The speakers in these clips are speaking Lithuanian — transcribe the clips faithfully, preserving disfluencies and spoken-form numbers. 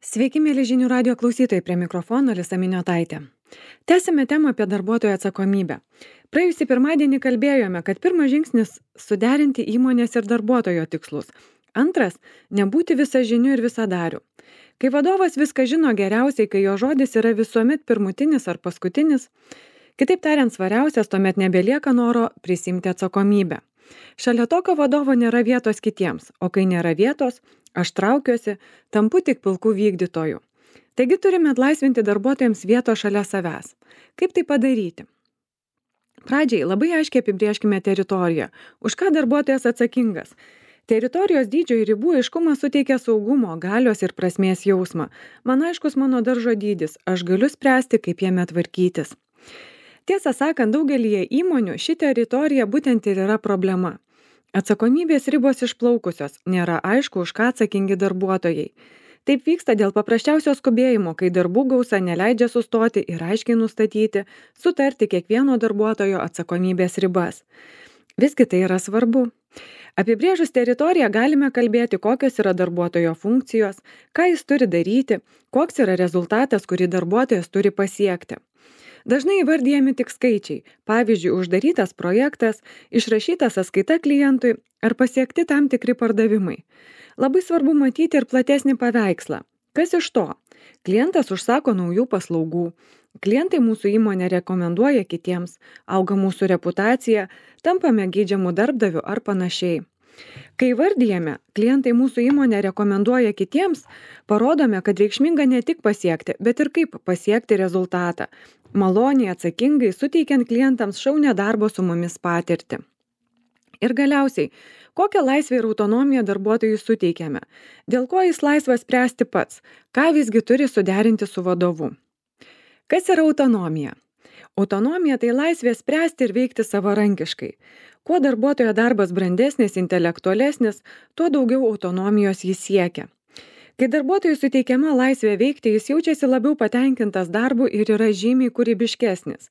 Sveiki, mėly žinių radio klausytojai, prie mikrofono Lisa Miniotaitė. Tęsime temą apie darbuotojo atsakomybę. Praėjusį pirmadienį kalbėjome, kad pirmas žingsnis - suderinti įmonės ir darbuotojo tikslus. Antras - nebūti visažiniu ir visadariu. Kai vadovas viską žino geriausiai, kai jo žodis yra visuomet pirmutinis ar paskutinis, kitaip tariant, svariausias, tuomet nebelieka noro prisimti atsakomybę. Šalia tokio vadovo nėra vietos kitiems, o kai nėra vietos, aš traukiuosi, tampu tik pilkų vykdytojų. Taigi turime atlaisvinti darbuotojams vietos šalia savęs. Kaip tai padaryti? Pradžiai labai aiškiai apibrėžkime teritoriją. Už ką darbuotojas atsakingas? Teritorijos dydžio ir ribų aiškumas suteikia saugumo, galios ir prasmės jausmą. Man aiškus mano daržo dydis, aš galiu spręsti, kaip jame tvarkytis. Tiesą sakant, daugelyje įmonių ši teritorija būtent ir yra problema. Atsakomybės ribos išplaukusios, nėra aišku, už ką atsakingi darbuotojai. Taip vyksta dėl paprasčiausio skubėjimo, kai darbų gausa neleidžia sustoti ir aiškiai nustatyti, sutarti kiekvieno darbuotojo atsakomybės ribas. Visgi tai yra svarbu. Apibrėžus teritoriją galime kalbėti, kokios yra darbuotojo funkcijos, ką jis turi daryti, koks yra rezultatas, kurį darbuotojas turi pasiekti. Dažnai įvardyjami tik skaičiai, pavyzdžiui, uždarytas projektas, išrašyta sąskaita klientui ar pasiekti tam tikri pardavimai. Labai svarbu matyti ir platesnį paveikslą. Kas iš to? Klientas užsako naujų paslaugų, klientai mūsų įmonę rekomenduoja kitiems, auga mūsų reputacija, tampame geidžiamų darbdavių ar panašiai. Kai vardijame, klientai mūsų įmonę rekomenduoja kitiems, parodome, kad reikšminga ne tik pasiekti, bet ir kaip pasiekti rezultatą. Maloniai, atsakingai, suteikiant klientams šaunią darbo su mumis patirtį. Ir galiausiai, kokią laisvę ir autonomiją darbuotojui suteikiame? Dėl ko jis laisvas spręsti pats? Ką visgi turi suderinti su vadovu? Kas yra autonomija? Autonomija tai laisvė spręsti ir veikti savarankiškai. Kuo darbuotojo darbas brandesnis, intelektualesnis, tuo daugiau autonomijos jis siekia. Kai darbuotojui suteikiama laisvė veikti, jis jaučiasi labiau patenkintas darbu ir yra žymiai kūrybiškesnis.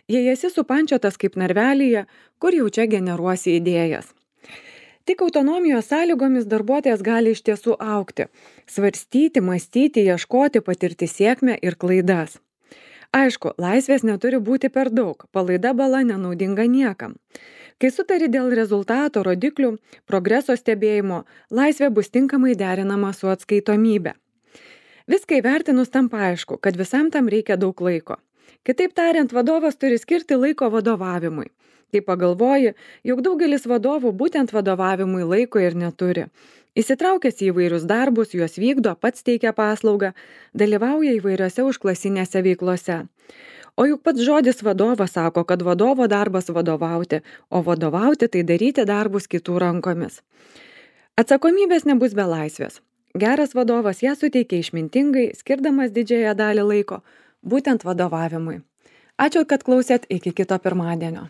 Jei esi supančiotas kaip narvelyje, kur jau čia generuosi idėjas. Tik autonomijos sąlygomis darbuotojas gali iš tiesų augti, svarstyti, mąstyti, ieškoti, patirti sėkmę ir klaidas. Aišku, laisvės neturi būti per daug, palaida bala nenaudinga niekam. Kai sutari dėl rezultato, rodiklių, progreso stebėjimo, laisvė bus tinkamai derinama su atskaitomybė. Viską įvertinus tampa aišku, kad visam tam reikia daug laiko. Kitaip tariant, vadovas turi skirti laiko vadovavimui. Kai pagalvoji, jog daugelis vadovų būtent vadovavimui laiko ir neturi. Įsitraukęs į įvairius darbus, juos vykdo, pats teikia paslaugą, dalyvauja įvairiose užklasinėse veiklose. O juk pats žodis vadovas sako, kad vadovo darbas vadovauti, o vadovauti tai daryti darbus kitų rankomis. Atsakomybės nebus be laisvės. Geras vadovas ją suteikia išmintingai, skirdamas didžiąją dalį laiko, būtent vadovavimui. Ačiū, kad klausėt, iki kito pirmadienio.